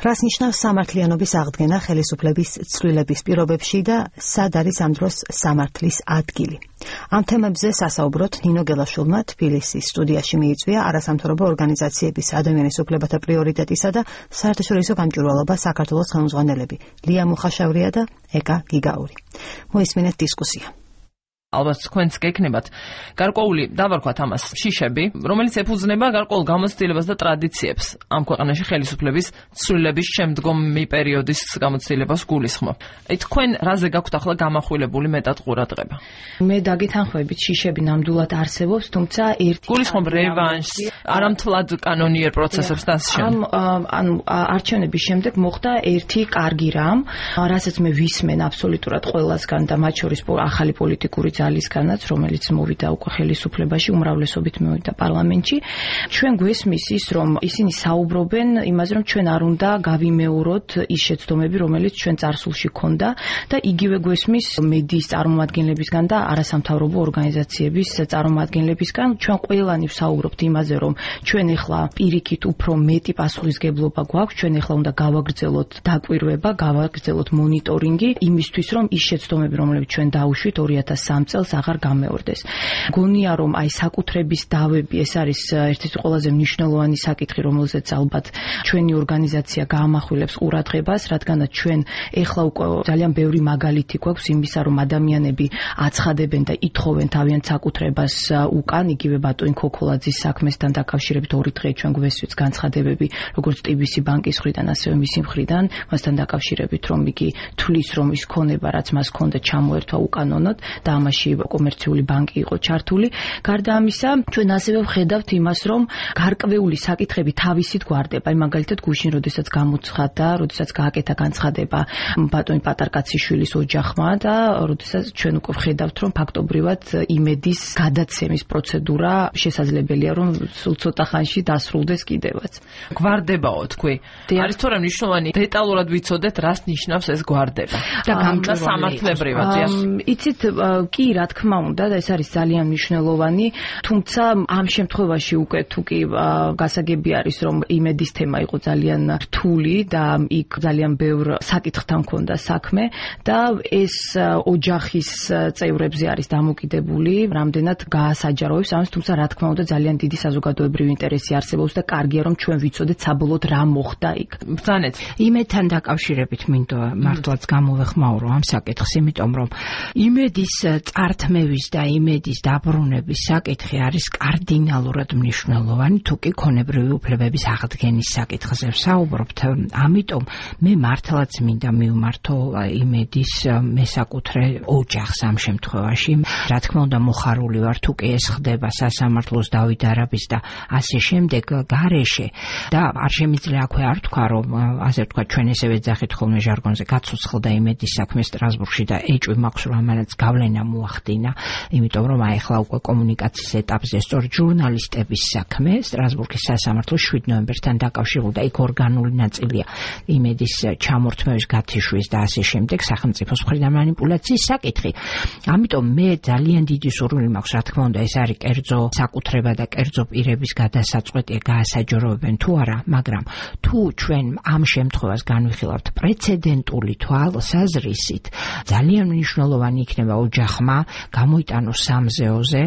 რას ნიშნავს სამართლიანობის აღდგენა ხელისუფლების ცვლილების პირობებში და სად არის ამ დროს სამართლის ადგილი? ამ თემებზე სასაუბროთ ნინო გელაშვილმა თბილისის სტუდიაში მიიწვია არასამთავრობო ორგანიზაციების ადამიანის უფლებათა პრიორიტეტისა და საერთაშორისო გამჭვირვალობა საქართველოს ხელმძღვანელები ლია მუხაშავრია და ეკა გიგაური. მოისმინეთ დისკუსია. ალბათ თქვენც გეკნებათ გარკვეული დავარქვათ ამას შიშები, რომელიც ეფუძნება გარკვეულ გამოცდილებას და ტრადიციებს ამ ქვეყანაში ხელისუფლების ცვლილების შემდგომი პერიოდის გამოცდილებას გულისხმობ. თქვენ რაზე გაქვთ ახლა გამახვილებული მეტად ყურადღება? მე დაგეთანხმებით, შიშები ნამდვილად არსებობს, თუმცა ერთი გულისხმობ რევანშს, არამთლად კანონიერ პროცესებს და ასე შემდეგ. ანუ არჩევნების შემდეგ მოხდა ერთი კარგი რამ, რასაც მე ვისმენ აბსოლუტურად ყველასგან და მათ შორის ახალი პოლიტიკური ძალისგანაც, რომელიც მოვიდა უკვე ხელისუფლებაში, უმრავლესობით მოვიდა პარლამენტში. ჩვენ გვესმის ის, რომ ისინი საუბრობენ იმაზე, რომ ჩვენ არ უნდა გავიმეოროთ ის შეცდომები, რომელიც ჩვენ წარსულში ქონდა და იგივე გვესმის მედიის წარმომადგენლებისგან და არასამთავრობო ორგანიზაციების წარმომადგენლებისგან. ჩვენ ყველანი ვსაუბრობთ იმაზე, რომ ჩვენ ეხლა პირიქით უფრო მეტი პასუხისგებლობა გვაქვს, ჩვენ ეხლა უნდა გავაგრძელოთ დაკვირვება, გავაგრძელოთ მონიტორინგი იმისთვის, რომ ის შეცდომები, რომლებიც ჩვენ დაუშვით 2003 წელს აღარ გამეორდეს. გონია, რომ აი საკუთრების დავები ეს არის ერთ-ერთი ყველაზე მნიშვნელოვანი საკითხი, რომელზეც ალბათ ჩვენი ორგანიზაცია გაამახვილებს ყურადღებას, რადგანაც ჩვენ ეხლა უკვე ძალიან ბევრი მაგალითი გვაქვს იმისა, რომ ადამიანები აცხადებენ და ითხოვენ თავიანთ საკუთრებას უკან, იგივე ბატონი ქოქოლაძის საქმესთან დაკავშირებით 2 დღე ჩვენ გვესვით განცხადებები, როგორც TBC ბანკის მხრიდან, ასევე მისი მხრიდან, მასთან დაკავშირებით, რომ იგი თვლის, რომ ის ქონება, რაც მას ქონდა, ჩამოერთვა უკანონოდ და ამაში კომერციული ბანკი იყო ჩართული. გარდა ამისა, ჩვენ ასევე ვხედავთ იმას, რომ გარკვეული საკითხები თავისით გვარდება. აი მაგალითად გუშინ, როდესაც გამოცხადდა, როდესაც გააკეთა განცხადება ბატონი პატარკაციშვილის ოჯახმა და როდესაც ჩვენ უკვე ვხედავთ, რომ ფაქტობრივად იმედის გადაცემის პროცედურა შესაძლებელია, რომ სულ ცოტა ხანში დასრულდეს კიდევაც. გვარდებაო თქვი. არის თორე მნიშვნელოვანი დეტალურად ვიცოდეთ, რას ნიშნავს ეს გვარდება და სამართლებრივად. იცით, კი, რა თქმა უნდა, და ეს არის ძალიან მნიშვნელოვანი, თუმცა ამ შემთხვევაში უკვე თუ კი გასაგები არის, რომ იმედის თემა იყო ძალიან რთული და იქ ძალიან ბევრ საკითხთან ჰქონდა საქმე და ეს ოჯახის წევრებზე არის დამოკიდებული, რამდენად გაასაჯაროებს ამას, თუმცა რა თქმა უნდა ძალიან დიდი საზოგადოებრივი ინტერესი არსებობს და კარგია, რომ ჩვენ ვიცოდეთ საბოლოოდ რა მოხდა იქ. ბრძანეთ. იმედთან დაკავშირებით მინდო მართლაც გამოვეხმაურო ამ საკითხს, იმიტომ რომ იმედის წართმევის და იმედის დაბრუნების საკითხი არის კარდინალურად მნიშვნელოვანი, თუ კი ქონებრივი უფლებების აღდგენის საკითხზე ვსაუბრობთ. ამიტომ მე მართლაც მინდა მივმართო იმედის მესაკუთრე ოჯახს ამ შემთხვევაში. რა თქმა უნდა, მოხარული ვარ, თუ კი ეს ხდება სასამართლოს დავითარების და ასე შემდეგ გარეშე და არ შემიძლია აქვე არ თქვა, რომ ასე ვთქვა, ჩვენ ესევე ძახით ხოლმე ჟარგონზე გაცოცხლდა იმედის საქმე სტრასბურგში და ეჭვი მაქვს, რომ ამანაც გავლენა მოახდინა, იმიტომ რომ აი ახლა უკვე კომუნიკაციის ეტაპზე სწორედ ჟურნალისტების საქმე სტრასბურგის სასამართლოს 7 ნოემბერთან დაკავშირებული და იქ ორგანული ნაწილია იმედის ჩამორთმევის გათიშვის და ასე შემდეგ სახელმწიფოს მხრიდან მანიპულაციის საკითხი. ამიტომ მე ძალიან დიდი სურვილი მაქვს, რა თქმა უნდა, ეს არის კერძო საკუთრება და კერძო პირების გადასაწყვეტია, გაასაჯაროებენ თუ არა, მაგრამ თუ ჩვენ ამ შემთხვევას განვიხილავთ პრეცედენტული თვალსაზრისით, ძალიან მნიშვნელოვანი იქნება ოჯახმა გამოიტანოს სამზეოზე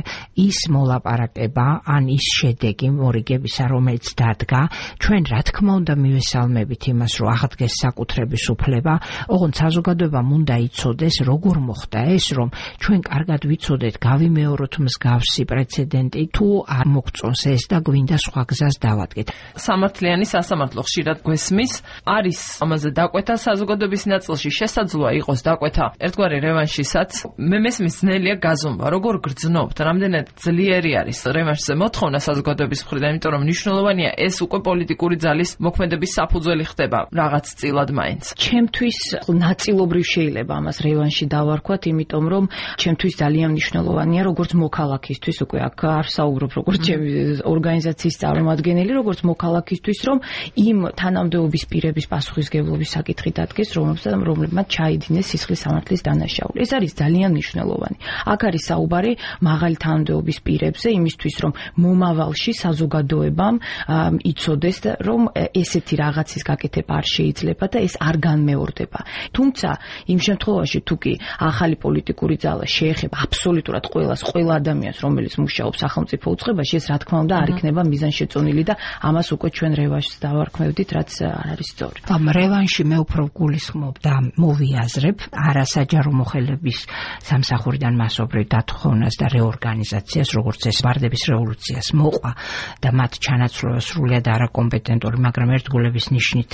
ის მოლაპარაკება ან ის შედეგი მორიგებისა, რომელიც დადგა. ჩვენ რა თქმა უნდა მივესალმებით იმას, რომ აღდგეს საკუთრების უფლება, ოღონდ საზოგადოებამ უნდა იცოდეს, როგორ მოხდა ეს, რომ ჩვენ კარგად ვიცოდეთ, გავიმეოროთ მსგავსი პრეცედენტი, თუ არ მოგწონს ეს და გვინდა სხვა გზას დავადგეთ. სამართლიანი სასამართლო ხშირად გვესმის, არის ამაზე დაკვეთა საზოგადოების ნაწილში, შესაძლოა იყოს დაკვეთა ერთგვარი რევანშისაც. მე მესმის ძნელია გაზომვა, როგორ გრძნობთ, რამდენად ძლიერი არის რევანშზე მოთხოვნა საზოგადოების მხრიდან, იმიტომ რომ მნიშვნელოვანია ეს უკვე პოლიტიკური ძალის მოქმედების საფუძველი ხდება რაღაც წილად მაინც. ჩემთვის ნაწილობრივ შეიძლება ამას რევანში დავარქვათ, იმიტომ რომ ჩემთვის ძალიან მნიშვნელოვანია, როგორც მოქალაქისთვის, უკვე აქ არ ვსაუბრობ როგორც ჩემი ორგანიზაციის წარმომადგენელი, როგორც მოქალაქისთვის, რომ იმ თანამდებობის პირების პასუხისგებლობის საკითხი დადგეს, რომლებმაც ჩაიდინეს სისხლის სამართლის დანაშაული. ეს არის ძალიან მნიშვნელოვანი. მნიშვნელოვანი. აქ არის საუბარი მაღალი თანამდებობის პირებზე, იმისთვის რომ მომავალში საზოგადოებამ იცოდეს, რომ ესეთი რაღაცის გაკეთება არ შეიძლება და ეს არ განმეორდება. თუმცა იმ შემთხვევაში თუ კი ახალი პოლიტიკური ძალა შეეხება აბსოლუტურად ყველა ადამიანს, რომელიც მუშაობს სახელმწიფო უწყებაში, ეს რა თქმა უნდა არ იქნება მიზანშეწონილი და ამას უკვე ჩვენ რევანშს დავარქმევდით, რაც არ არის სწორი. ამ რევანში მე უფრო გულისხმობ და მოვიაზრებ არასაჯარო მოხელების სამსახურიდან მასობრივ დათხოვნას და რეორგანიზაციას, როგორც ეს ვარდების რევოლუციას მოყვა და მათ ჩანაცვლება სრულიად არაკომპეტენტური, მაგრამ ერთგულების ნიშნით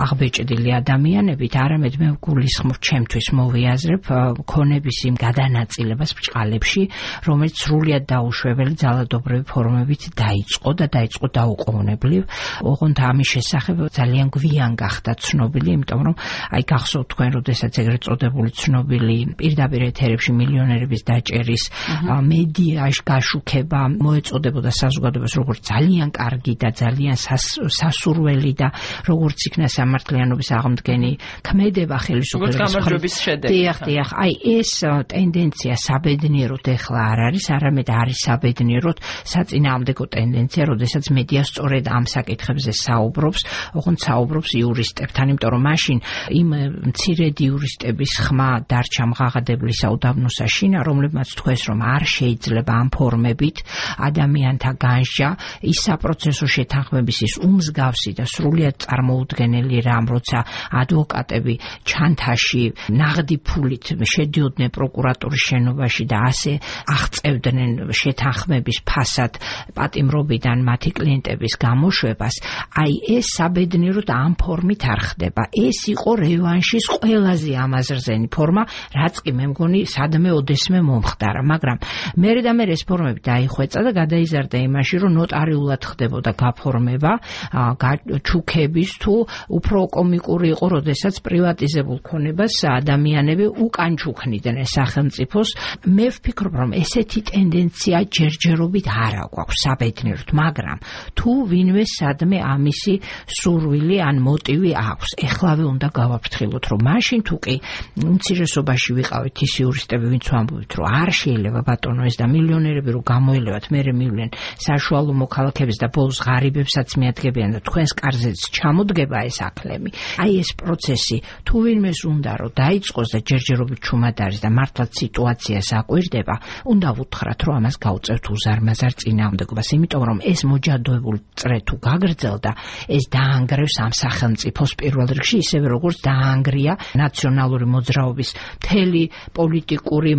აღბეჭდილი ადამიანებით, არამედ მე გულისხმობ ჩემთვის მოვიაზრებ ქონების იმ გადანაწილებას ბჭყალებში, რომელიც სრულიად დაუშვებელი ძალადობრივი ფორმებით დაიწყო და დაიწყო დაუყოვნებლივ. ოღონდ ამის შესახებ ძალიან გვიან გახდა ცნობილი, იმიტომ რომ აი გახსოვთ თქვენ, როდესაც ეგრეთ წოდებული ცნობილი პირდაპირ ეთერებში მილიონერების დაჭერის მედიაში გაშუქება მოეწოდებოდა საზოგადოებას როგორც ძალიან კარგი და ძალიან სასურველი და როგორც იქნა სამართლიანობის აღმდგენი ქმედება ხელისუფლების გამარჯვების შედეგი. დიახ, აი ეს ტენდენცია საბედნიეროდ ეხლა არ არის, არამედ არის საბედნიეროდ საწინააღმდეგო ტენდენცია, როდესაც მედია სწორედ ამ საკითხებზე საუბრობს, ოღონდ საუბრობს იურისტებთან, იმიტომ რომ მაშინ იმ მცირედი იურისტების ხმა დარჩა მღაღადებლისა უდაბნოსა შინა, რომლებმაც თქვეს, რომ არ შეიძლება ამ ფორმებით ადამიანთა განსჯა, ის საპროცესო შეთანხმების ის უმსგავსი და სრულიად წარმოუდგენელი რამ, როცა ადვოკატები ჩანთაში ნაღდი ფულით შედიოდნენ პროკურატურის შენობაში და ასე აღწევდნენ შეთანხმების ფასად პატიმრობიდან მათი კლიენტების გამოშვებას, აი ეს საბედნიეროდ ამ ფორმით არ ხდება. ეს იყო რევანშის ყველაზე ამაზრზენი ფორმა, რაც კი მე მგონი სადმე ოდესმე მომხდარა, მაგრამ მერე და მერე ეს ფორმები დაიხვეწა და გადაიზარდა იმაში, რომ ნოტარიულად ხდებოდა გაფორმება ჩუქების თუ უფრო კომიკური იყო, როდესაც პრივატიზებულ ქონებას ადამიანები უკან ჩუქნიდნენ სახელმწიფოს. მე ვფიქრობ, რომ ესეთი ტენდენცია ჯერჯერობით არ აქვს საბედნიეროდ, მაგრამ თუ ვინმე სადმე ამისი სურვილი ან მოტივი აქვს, ეხლავე უნდა გავაფრთხილოთ, რომ მაშინ თუ კი უმცირესობაში ვიყავით ის იურისტები, ვინც ვამბობთ, რომ არ შეიძლება ბატონო ეს და მილიონერები რომ გამოელევათ, მერე მივლენ საშუალო მოქალაქეებს და ბოლოს ღარიბებსაც მიადგებიან და თქვენს კარზეც ჩამოდგება ეს აკლები. აი ეს პროცესი თუ ვინმეს უნდა რომ დაიწყოს და ჯერჯერობით ჩუმად არის და მართლაც სიტუაციას აკვირდება, უნდა ვუთხრათ, რომ ამას გავწევთ უზარმაზარ წინააღმდეგობას, იმიტომ რომ ეს მოჯადოებული წრე თუ გაგრძელდა, ეს დაანგრევს ამ სახელმწიფოს პირველ რიგში, ისევე როგორც დაანგრია ნაციონალური მოძრაობის მთელი პოლიტიკური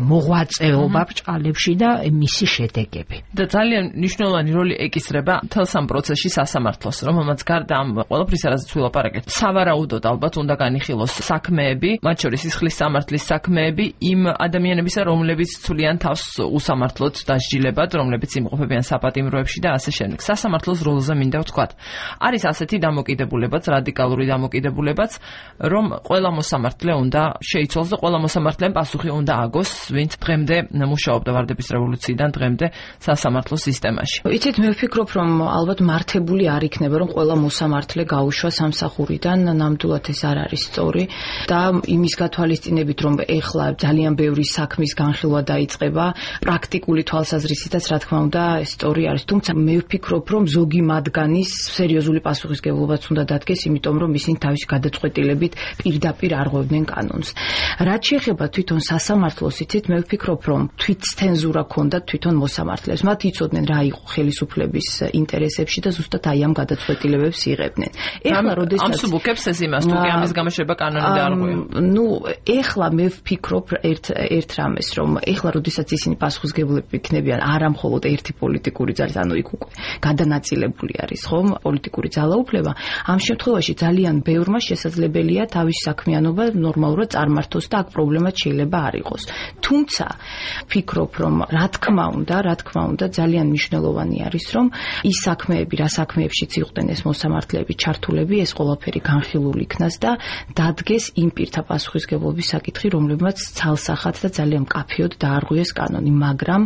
მოღვაწეობა ბჭყალებში და მისი შედეგები. და ძალიან მნიშვნელოვანი როლი ეკისრება მთელს ამ პროცესში სასამართლოს, რომელმაც გარდა ამ ყველაფრისა, რაზეც ვილაპარაკეთ, სავარაუდოდ ალბათ უნდა განიხილოს საქმეები, მათ შორის სისხლის სამართლის საქმეები იმ ადამიანებისა, რომლებიც ცვლიან თავს უსამართლოდ დასჯილებად, რომლებიც იმყოფებიან საპატიმროებში და ასე შემდეგ. სასამართლოს როლზე მინდა ვთქვათ. არის ასეთი დამოკიდებულებაც, რადიკალური დამოკიდებულებაც, რომ ყველა მოსამართლე უნდა შეიცვალოს და ყველა მოსამართლემ პასუხი უნდა აგოს, ვინც დღემდე მუშაობდა ვარდების რევოლუციიდან დღემდე სასამართლო სისტემაში. იცით, მე ვფიქრობ, რომ ალბათ მართებული არ იქნება, რომ ყველა მოსამართლე გაუშვა სამსახურიდან, ნამდვილად ეს არ არის სწორი და იმის გათვალისწინებით, რომ ეხლა ძალიან ბევრი საქმის განხილვა დაიწყება, პრაქტიკული თვალსაზრისითაც რა თქმა უნდა სწორი არის, თუმცა მე ვფიქრობ, რომ ზოგი მათგანის სერიოზული პასუხისგებლობაც უნდა დადგეს, იმიტომ რომ ისინი თავისი გადაწყვეტილებით პირდაპირ არღვევდნენ კანონს. რაც შეეხება თვითონ სასამართლოს, იცით, მე ვფიქრობ, რომ თვითცენზურა ქონდა თვითონ მოსამართლეებს. მათ იცოდნენ რა იყო ხელისუფლების ინტერესებში და ზუსტად აი ამ გადაწყვეტილებებს იღებდნენ. ეხლა როდესაც ამ სუბუქებს ეს იმას, თუ კი ამის გამეშვება კანონი და არღვევა. ნუ ეხლა მე ვფიქრობ ერთ რამეს, რომ ეხლა როდესაც ისინი პასუხისგებლები იქნებიან არა მხოლოდ ერთი პოლიტიკური ძალის, ანუ იქ უკვე გადანაწილებული არის, ხომ, პოლიტიკური ძალაუფლება, ამ შემთხვევაში ძალიან ბევრმა შესაძლებელია თავის საქმიანობა ნორმალურად წარმართოს და აქ პრობლემაც შეიძლება არ იყოს. თუმცა ვფიქრობ, რომ რა თქმა უნდა ძალიან მნიშვნელოვანი არის, რომ ის საქმეები, რა საქმეებშიც იყვნენ ეს მოსამართლეები ჩართულები, ეს ყველაფერი განხილული იქნას და დადგეს იმ პირთა პასუხისგებლობის საკითხი, რომლებმაც ცალსახად და ძალიან მკაფიოდ დაარღვიეს კანონი, მაგრამ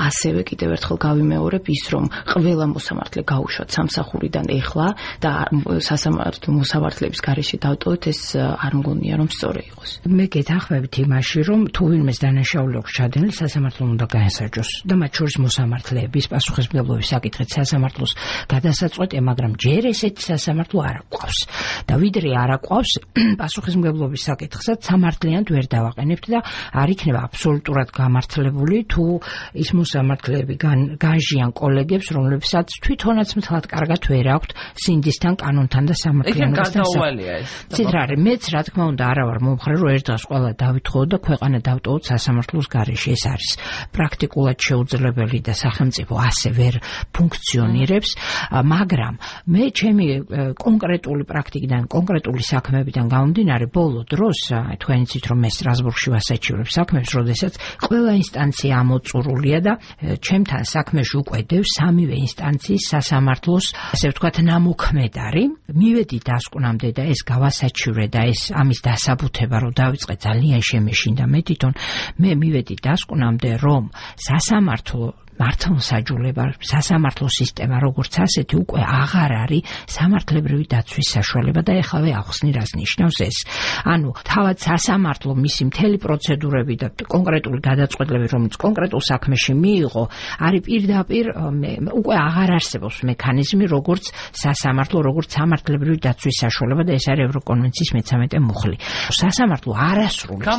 ასევე კიდევ ერთხელ გავიმეორებ ის, რომ ყველა მოსამართლე გაუშვათ სამსახურიდან ეხლა და მოსამართლეების გარეშე დავტოვეთ, ეს არ მგონია რომ სწორი იყოს. მე გეთანხმებით იმაში, რომ რომ თუ ვინმეს დანაშაული აქვს ჩადენილი, სასამართლომ უნდა გაესაჯოს და მათ შორის მოსამართლეების პასუხისმგებლობის საკითხით სასამართლოს გადასაწყვეტია, მაგრამ ჯერ ესეთი სასამართლო არ გვყავს. და ვიდრე არ აყვავს პასუხისმგებლობის საკითხსაც სამართლიანად ვერ დავაყენებთ და არ იქნება აბსოლუტურად გამართლებული თუ ის მოსამართლეები განჟიან კოლეგებს, რომლებსაც თვითონაც მთლად კარგად ვერ აქვთ სინდისთან, კანონთან და სამართლიანობასთან. ცით რა არის, მეც რა თქმა უნდა არა ვარ მომხრე, რომ ერთ დღეს ყველა დავითხოვოთ და ქვეყანა დავტოვოთ სასამართლოს გარეშე. ეს არის პრაქტიკულად შეუძლებელი და სახელმწიფო ასე ვერ ფუნქციონირებს, მაგრამ მე ჩემი კონკრეტული პრაქტიკიდან, კონკრეტული საქმეებიდან გამომდინარე, ბოლო დროს, თქვენ იცით რომ მე სტრასბურგში ვასაჩივრებ საქმებს, როდესაც ყველა ინსტანცია ამოწურულია და ჩემთან საქმეში უკვე დევს სამივე ინსტანციის სასამართლოს, ასე ვთქვათ, ნამოქმედარი. მივედი დასკვნამდე და ეს გავასაჩივრე და ეს ამის დასაბუთება რომ დავიწყე ძალიან შემეშინდა მე თვითონ. მე მივედი დასკვნამდე რომ სასამართლო მართლმსაჯულება, სასამართლო სისტემა როგორც ასეთი უკვე აღარ არის სამართლებრივი დაცვის საშუალება და ეხლა ახსნი რას ნიშნავს ეს. ანუ თავად სასამართლო მისი მთელი პროცედურები და კონკრეტული გადაწყვეტილები, რომელიც კონკრეტულ საქმეში მიიღო, არის პირდაპირ უკვე აღარ არსებობს მექანიზმი, როგორც სასამართლო, როგორც სამართლებრივი დაცვის საშუალება და ეს არის ევროკონვენციის 13 მუხლი. სასამართლო არასრულებს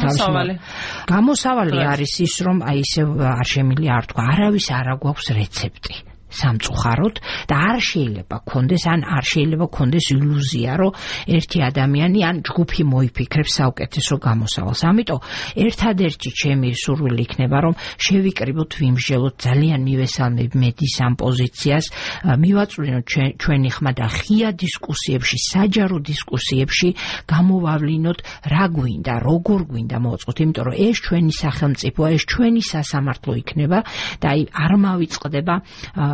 გამოსავალი არის ის, რომ აი ისე არ შემიძლია არ თქვა, არავის არა გვაქვს რეცეპტი სამწუხაროდ და არ შეიძლება გქონდეს, ან არ შეიძლება გქონდეს ილუზია, რომ ერთი ადამიანი ან ჯგუფი მოიფიქრებს საუკეთესო გამოსავალს. ამიტომ ერთადერთი ჩემი სურვილი იქნება, რომ შევიკრიბოთ, ვიმსჯელოთ, ძალიან მივესალმებ მედის ამ პოზიციას, მივაწვდინოთ ჩვენი ხმა და ღია დისკუსიებში, საჯარო დისკუსიებში გამოვავლინოთ, რა გვინდა, როგორ გვინდა მოვაწყოთ, იმიტომ რომ ეს ჩვენი სახელმწიფოა, ეს ჩვენი სასამართლო იქნება და აი არ მავიწყდება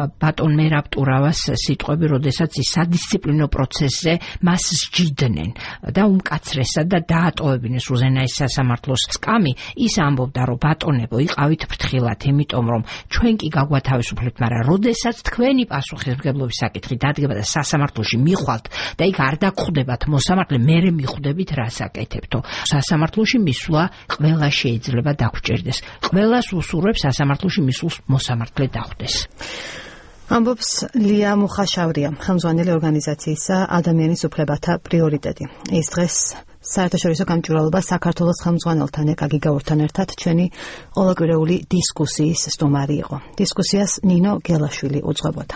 ბატონ მერაბ ტურავას სიტყვები, როდესაც ის სადისციპლინო პროცესზე მას სჯიდნენ და უმკაცრესად და დაატოვებინეს უზენაეს სასამართლოს სკამი, ის ამბობდა, რომ ბატონებო, იყავით ფრთხილად, იმიტომ რომ ჩვენ კი გაგვათავისუფლებთ, მაგრამ როდესაც თქვენი პასუხისმგებლობის საკითხი დადგება და სასამართლოში მიხვალთ და იქ არ დაგხვდებათ მოსამართლე, მერე მიხვდებით რას აკეთებთო. სასამართლოში მისვლა ყველა შეიძლება დაგვრჩერდეს. ყველას უსურვებს სასამართლოში მისულს მოსამართლე დახვდეს. ამბობს ლია მუხაშავრია, ხელმძღვანელი ორგანიზაციისა ადამიანის უფლებათა პრიორიტეტი. ის დღეს საერთაშორისო გამჭვირვალობა საქართველოს ხელმძღვანელთან ეკაგიგაურთან ერთად ჩვენი ყოველკვირეული დისკუსიის სტუმარი იყო. დისკუსიას ნინო გელაშვილი უძღვებოდა.